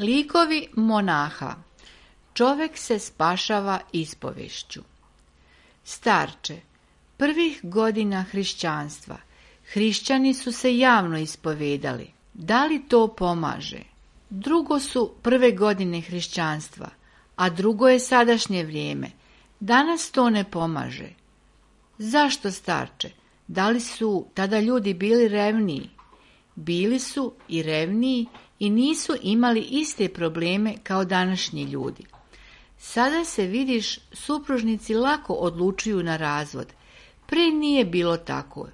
Likovi monaha. Čovek se spašava ispovešću. Starče, prvih godina hrišćanstva, hrišćani su se javno ispovedali. Da li to pomaže? Drugo su prve godine hrišćanstva, a drugo je sadašnje vrijeme. Danas to ne pomaže. Zašto, starče? Da li su tada ljudi bili revniji? Bili su i revniji i nisu imali iste probleme kao današnji ljudi. Sada se, vidiš, supružnici lako odlučuju na razvod. Pre nije bilo tako.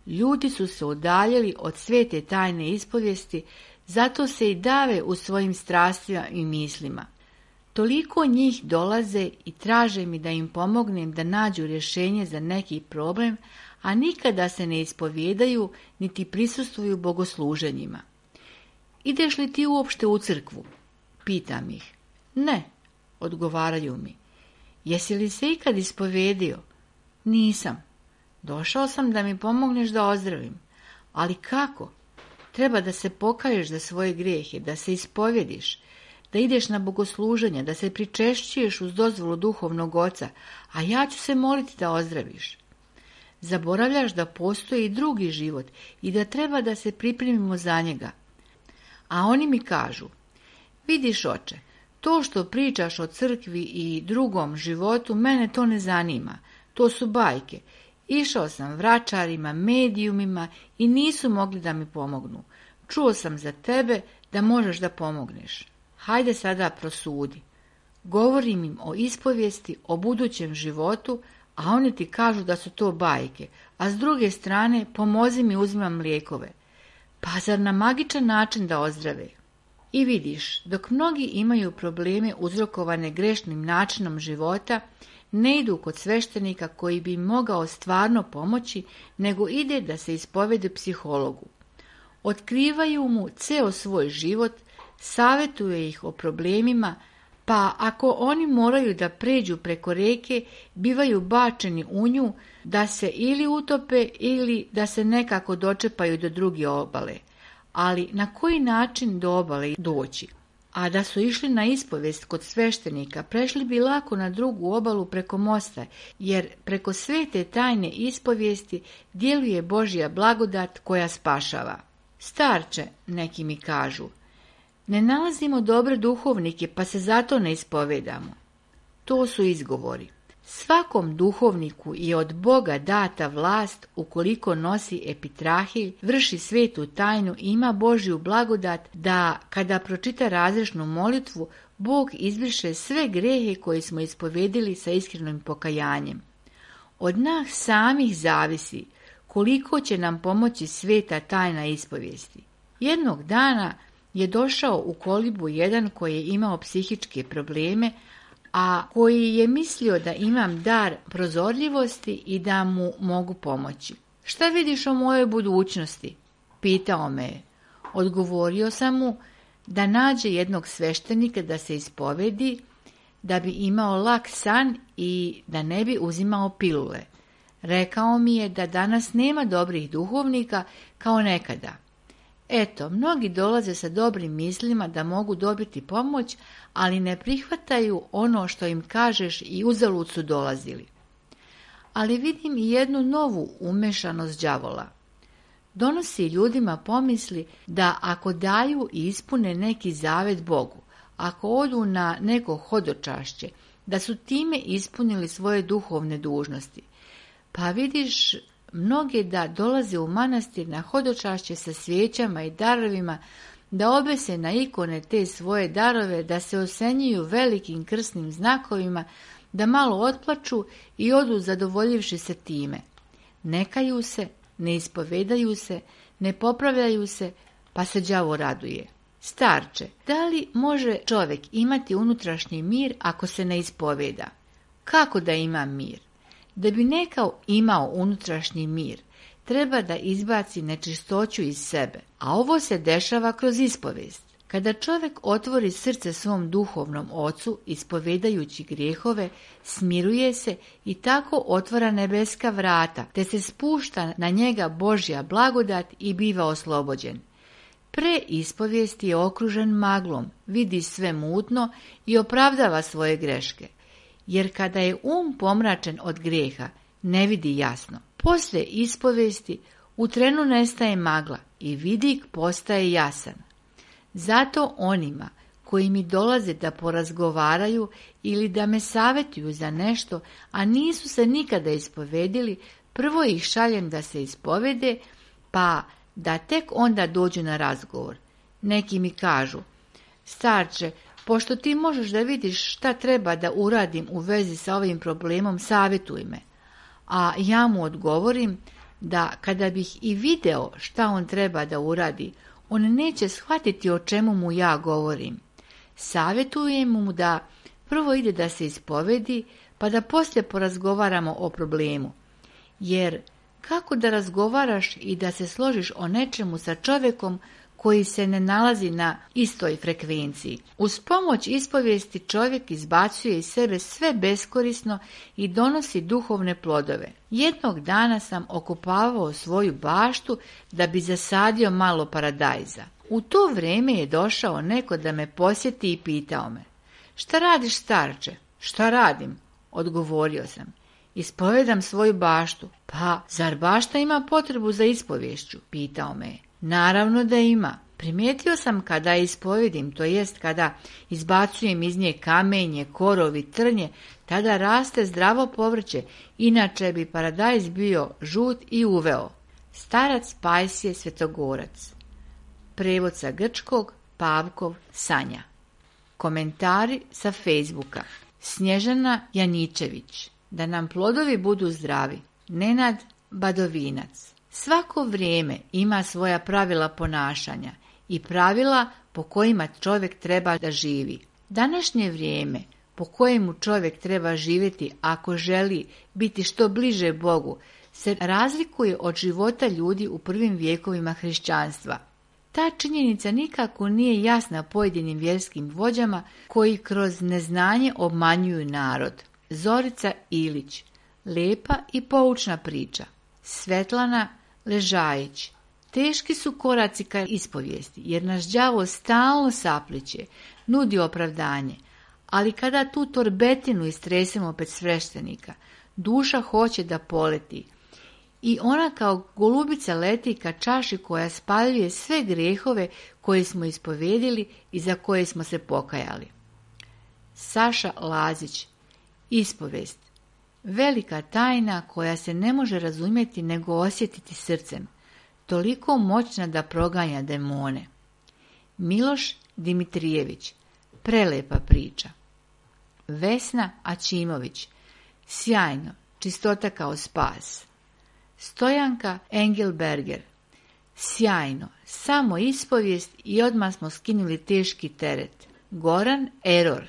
Ljudi su se udaljili od svete tajne ispovijesti, zato se i dave u svojim strastima i mislima. Toliko njih dolaze i traže mi da im pomognem da nađu rješenje za neki problem, a nikada se ne ispovijedaju niti prisustvuju bogosluženjima. Ideš li ti uopšte u crkvu? Pitam ih. Ne, odgovaraju mi. Jesi li se ikad ispovedio? Nisam. Došao sam da mi pomogneš da ozdravim. Ali kako? Treba da se pokaješ za svoje grijehe, da se ispovjediš, da ideš na bogosluženje, da se pričešćuješ uz dozvolu duhovnog oca, a ja ću se moliti da ozdraviš. Zaboravljaš da postoji i drugi život i da treba da se pripremimo za njega. A oni mi kažu, vidiš oče, to što pričaš o crkvi i drugom životu, mene to ne zanima, to su bajke. Išao sam vračarima, medijumima i nisu mogli da mi pomognu. Čuo sam za tebe da možeš da pomogneš. Hajde sada prosudi. Govorim im o ispovijesti, o budućem životu, a oni ti kažu da su to bajke, a s druge strane pomozi mi uzimam lijekove. Pa zar na magičan način da ozdrave? I vidiš, dok mnogi imaju probleme uzrokovane grešnim načinom života, ne idu kod sveštenika koji bi im mogao stvarno pomoći, nego ide da se ispovede psihologu. Otkrivaju mu ceo svoj život, savjetuje ih o problemima, pa ako oni moraju da pređu preko reke, bivaju bačeni u nju da se ili utope ili da se nekako dočepaju do druge obale. Ali na koji način do obale doći? A da su išli na ispovest kod sveštenika, prešli bi lako na drugu obalu preko mosta, jer preko svete tajne ispovijesti djeluje Božja blagodat koja spašava. Starče, neki mi kažu, ne nalazimo dobre duhovnike, pa se zato ne ispovedamo. To su izgovori. Svakom duhovniku je od Boga data vlast, ukoliko nosi epitrahilj, vrši svetu tajnu i ima Božju blagodat, da kada pročita razrešnu molitvu, Bog izbriše sve grehe koje smo ispovedili sa iskrenim pokajanjem. Od nas samih zavisi koliko će nam pomoći sveta tajna ispovijesti. Jednog dana je došao u kolibu jedan koji je imao psihičke probleme, a koji je mislio da imam dar prozorljivosti i da mu mogu pomoći. Šta vidiš o mojoj budućnosti? Pitao me je. Odgovorio sam mu da nađe jednog sveštenika da se ispovedi, da bi imao lak san i da ne bi uzimao pilule. Rekao mi je da danas nema dobrih duhovnika kao nekada. Eto, mnogi dolaze sa dobrim mislima da mogu dobiti pomoć, ali ne prihvataju ono što im kažeš i uzalud su dolazili. Ali vidim i jednu novu umešanost đavola. Donosi ljudima pomisli da ako daju i ispune neki zavet Bogu, ako odu na neko hodočašće, da su time ispunili svoje duhovne dužnosti. Pa vidiš mnoge da dolaze u manastir na hodočašće sa svijećama i darovima, da obese na ikone te svoje darove, da se osenjuju velikim krsnim znakovima, da malo otplaču i odu zadovoljivši se time. Ne kaju se, ne ispovedaju se, ne popravljaju se, pa se đavo raduje. Starče, da li može čovjek imati unutrašnji mir ako se ne ispoveda? Kako da ima mir? Da bi neko imao unutrašnji mir, treba da izbaci nečistoću iz sebe, a ovo se dešava kroz ispovest. Kada čovjek otvori srce svom duhovnom ocu, ispovedajući grijehove, smiruje se i tako otvara nebeska vrata, te se spušta na njega Božja blagodat i biva oslobođen. Pre ispovijesti je okružen maglom, vidi sve mutno i opravdava svoje greške, jer kada je pomračen od grijeha, ne vidi jasno. Poslije ispovijesti u trenu nestaje magla i vidik postaje jasan. Zato onima koji mi dolaze da porazgovaraju ili da me savjetuju za nešto, a nisu se nikada ispovedili, prvo ih šaljem da se ispovede, pa da tek onda dođu na razgovor. Neki mi kažu: starče, pošto ti možeš da vidiš šta treba da uradim u vezi sa ovim problemom, savjetuj me. A ja mu odgovorim da kada bih i video šta on treba da uradi, on neće shvatiti o čemu mu ja govorim. Savjetujem mu da prvo ide da se ispovedi, pa da poslije porazgovaramo o problemu. Jer kako da razgovaraš i da se složiš o nečemu sa čovjekom koji se ne nalazi na istoj frekvenciji? Uz pomoć ispovijesti čovjek izbacuje iz sebe sve beskorisno i donosi duhovne plodove. Jednog dana sam okopavao svoju baštu da bi zasadio malo paradajza. U to vrijeme je došao neko da me posjeti i pitao me: šta radiš, starče? Šta radim? Odgovorio sam: ispovedam svoju baštu. Pa, zar bašta ima potrebu za ispovješću? Pitao me je. Naravno da ima. Primijetio sam kada ispovedim, to jest kada izbacujem iz nje kamenje, korov i trnje, tada raste zdravo povrće, inače bi paradajz bio žut i uveo. Starac Pajsije Svetogorac. Prevod sa grčkog, Pavkov Sanja. Komentari sa Facebooka. Snježana Janičević. Da nam plodovi budu zdravi. Nenad Badovinac. Svako vrijeme ima svoja pravila ponašanja i pravila po kojima čovjek treba da živi. Današnje vrijeme po kojemu čovjek treba živjeti ako želi biti što bliže Bogu se razlikuje od života ljudi u prvim vijekovima hrišćanstva. Ta činjenica nikako nije jasna pojedinim vjerskim vođama koji kroz neznanje obmanjuju narod. Zorica Ilić. Lepa i poučna priča. Svetlana Ležajić. Teški su koraci ka ispovijesti, jer naš đavo stalno sapliće, nudi opravdanje, ali kada tu torbetinu istresemo pred sveštenika, duša hoće da poleti i ona kao golubica leti ka čaši koja spaljuje sve grijehove koje smo ispovedili i za koje smo se pokajali. Saša Lazić. Ispovest. Velika tajna koja se ne može razumjeti nego osjetiti srcem, toliko moćna da proganja demone. Miloš Dimitrijević. Prelepa priča. Vesna Ačimović. Sjajno, čistota kao spas. Stojanka Engelberger. Sjajno, samo ispovijest i odmah smo skinuli teški teret. Goran Eror.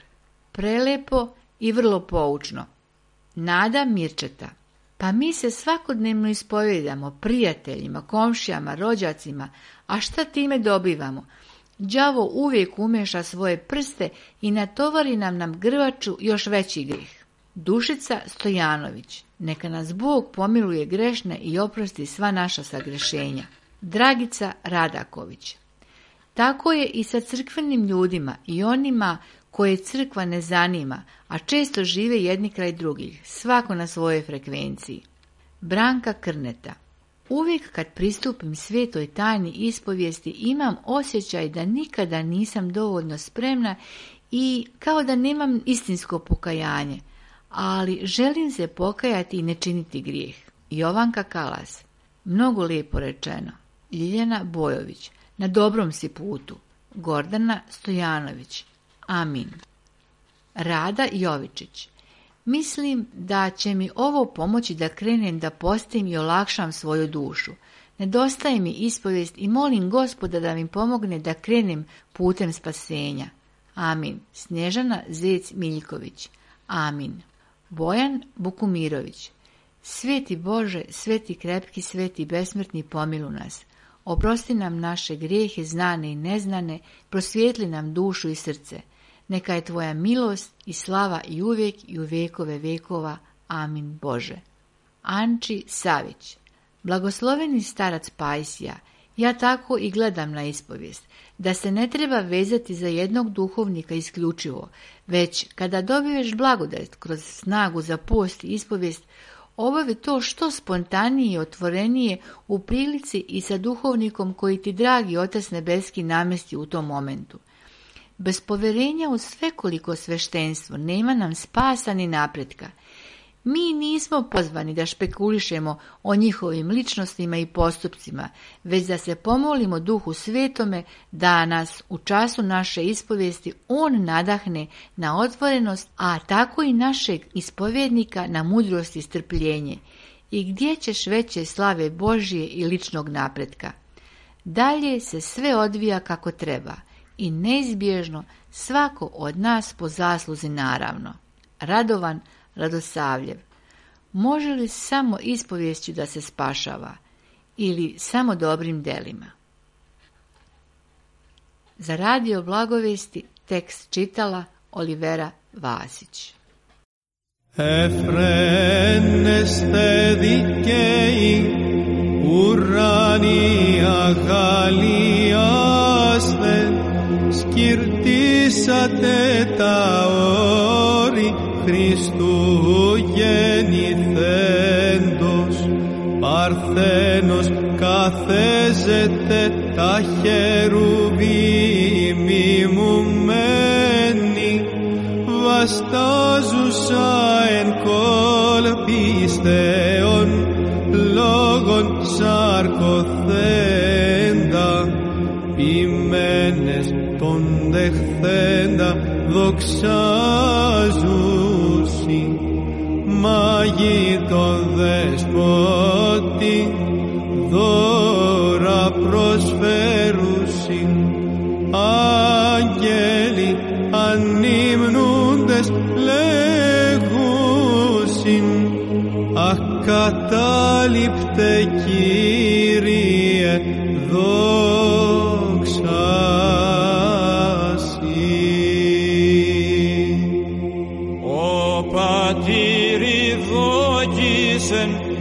Prelepo i vrlo poučno. Nada Mirčeta. Pa mi se svakodnevno ispovedamo prijateljima, komšijama, rođacima, a šta time dobivamo? Đavo uvijek umeša svoje prste i natovari nam grvaču još veći grijeh. Dušica Stojanović. Neka nas Bog pomiluje grešne i oprosti sva naša sagrešenja. Dragica Radaković. Tako je i sa crkvenim ljudima i onima koje crkva ne zanima, a često žive jedni kraj drugih, svako na svojoj frekvenciji. Branka Krneta. Uvijek kad pristupim svetoj tajni ispovijesti imam osjećaj da nikada nisam dovoljno spremna i kao da nemam istinsko pokajanje, ali želim se pokajati i ne činiti grijeh. Jovanka Kalas. Mnogo lijepo rečeno. Ljiljana Bojović. Na dobrom si putu. Gordana Stojanović. Amin. Rada Jovičić. Mislim da će mi ovo pomoći da krenem da postim i olakšam svoju dušu. Nedostaje mi ispovijest i molim Gospoda da mi pomogne da krenem putem spasenja. Amin. Snježana Zec Miljković. Amin. Bojan Bukumirović. Sveti Bože, sveti krepki, sveti besmrtni, pomiluj nas. Oprosti nam naše grijehe, znane i neznane, prosvijetli nam dušu i srce. Neka je tvoja milost i slava i uvijek i u vekove vekova. Amin Bože. Anči Savić. Blagosloveni starac Pajsija, ja tako i gledam na ispovijest, da se ne treba vezati za jednog duhovnika isključivo, već kada dobiješ blagodat kroz snagu za post i ispovijest, obavi to što spontanije i otvorenije u prilici i sa duhovnikom koji ti dragi Otac nebeski namesti u tom momentu. Bez povjerenja u svekoliko sveštenstvo nema nam spasa ni napretka. Mi nismo pozvani da špekulišemo o njihovim ličnostima i postupcima, već da se pomolimo Duhu Svetome da nas u času naše ispovijesti On nadahne na otvorenost, a tako i našeg ispovjednika na mudrost i strpljenje. I gdje ćeš veće slave Božje i ličnog napretka? Dalje se sve odvija kako treba i neizbježno svako od nas po zasluzi naravno. Radovan Radosavljev. Može li samo ispoviješću da se spašava ili samo dobrim delima? Za radio Blagovesti tekst čitala Olivera Vasić. Εφραίνεστε δικαίοι, ουράνοι αγαλιάστε, σκυρτήσατε τα όρη Χριστού γεννηθέντος, παρθένος καθέζεται τα χερουβίμ μιμουμένη, βαστάζουσα εν κολπίστεων λόγων σαρκοθέντα, ποιμένες τον δεχθέντα δοξάζουσι, μάγει τον δεσπότη δώρα προσφέρουσι, άγγελοι ανυμνούντες λέγουσιν, ακατάληπτε Κύριε δόξα.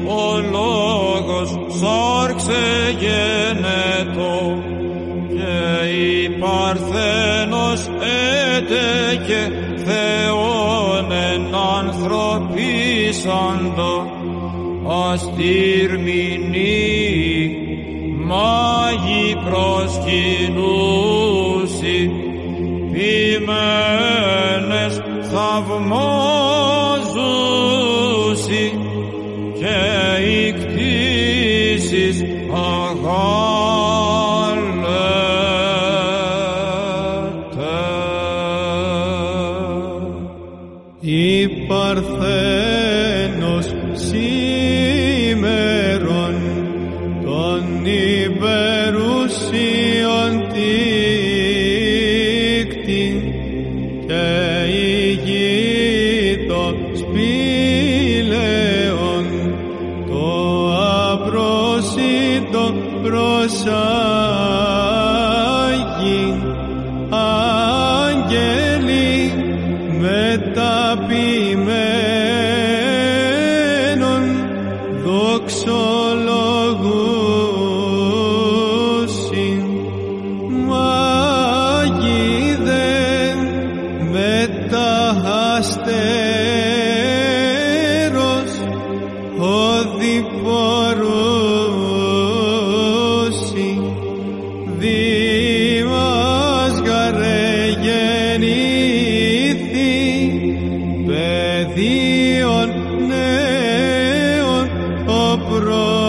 Ο λόγος σάρξε γενετό και η Παρθένος έτεκε Θεόν εν ανθρωπίσαντο αστήρμηνοι μάγοι προσκυνούσι ποιμένες θαυμάζουσι και οι κτήσεις αγάλετε. Η Παρθένος σήμερον των υπερουσίων τίκτη και ηγείτο σπήλαιον το απρόσιτο προσάγει άγγελοι μεταποιημένων δοξολογούσιν, μάγοι δεν μεταχαστέρος οδιπορούν πεδίων νέων το πρωί.